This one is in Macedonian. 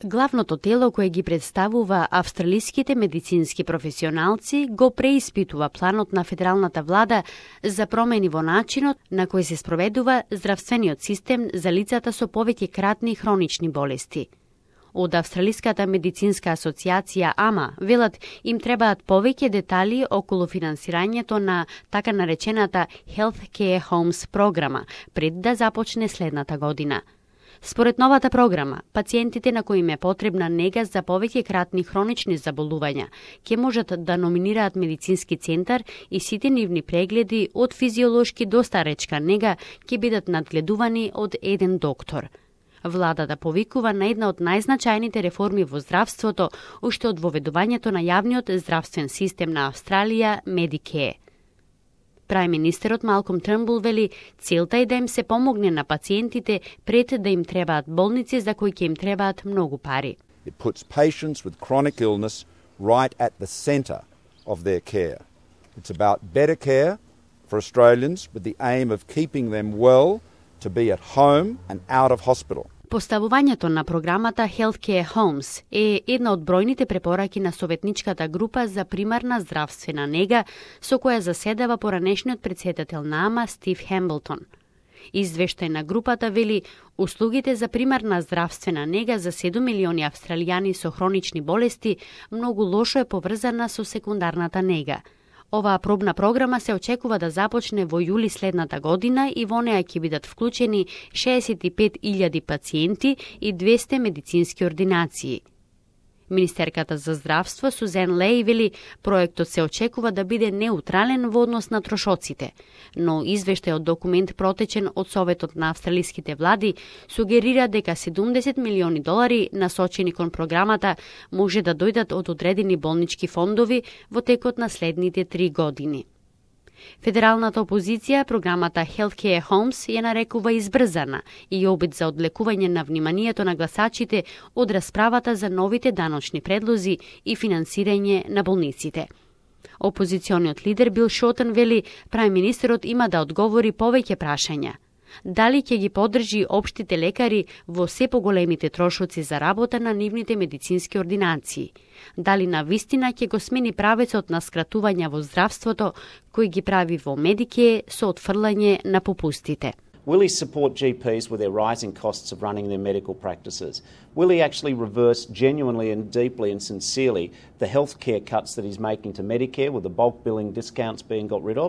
Главното тело кое ги представува австралиските медицински професионалци го преиспитува планот на федералната влада за промени во начинот на кој се спроведува здравствениот систем за лицата со повеќе кратни хронични болести. Од Австралиската медицинска асоциација АМА велат им требаат повеќе детали околу финансирањето на така наречената Health Care Homes програма пред да започне следната година. Според новата програма, пациентите на кои им е потребна нега за повеќе кратни хронични заболувања ќе можат да номинираат медицински центар и сите нивни прегледи од физиолошки до старечка нега ќе бидат надгледувани од еден доктор. Владата повикува на една од најзначајните реформи во здравството уште од воведувањето на јавниот здравствен систем на Австралија, Medicare. Прајм-министерот Малком Трнбул вели целта е да им се помогне на пациентите пред да им требаат болници за кои ќе им требаат многу пари. It puts patients with chronic illness right at the center of their care. It's about better care for Australians with the aim of keeping them well to be at home and out of hospital. Поставувањето на програмата Healthcare Homes е една од бројните препораки на Советничката група за примарна здравствена нега со која заседава поранешниот претседател на АМА Стив Хемблтон. Извештај на групата вели услугите за примарна здравствена нега за 7 милиони австралијани со хронични болести многу лошо е поврзана со секундарната нега. Оваа пробна програма се очекува да започне во јули следната година и во неа ќе бидат вклучени 65.000 пациенти и 200 медицински ординации. Министерката за здравство Сузен Леј вели проектот се очекува да биде неутрален во однос на трошоците, но извештај од документ протечен од Советот на австралиските влади сугерира дека 70 милиони долари насочени кон програмата може да дојдат од одредени болнички фондови во текот на следните 3 години. Федералната опозиција програмата Healthcare Homes ја нарекува избрзана и обид за одлекување на вниманието на гласачите од расправата за новите даночни предлози и финансирање на болниците. Опозициониот лидер Бил Шотен вели прајм-министерот има да одговори повеќе прашања. Дали ќе ги поддржи општите лекари во се поголемите трошоци за работа на нивните медицински ординации? Дали на вистина ќе го смени правецот на скратувања во здравството кој ги прави во Medicare со отфрлање на попустите? Will he support GPs with their rising costs of running their medical practices? Will he actually reverse genuinely and deeply and sincerely the healthcare cuts that he's making to Medicare with the bulk billing discounts being got rid of?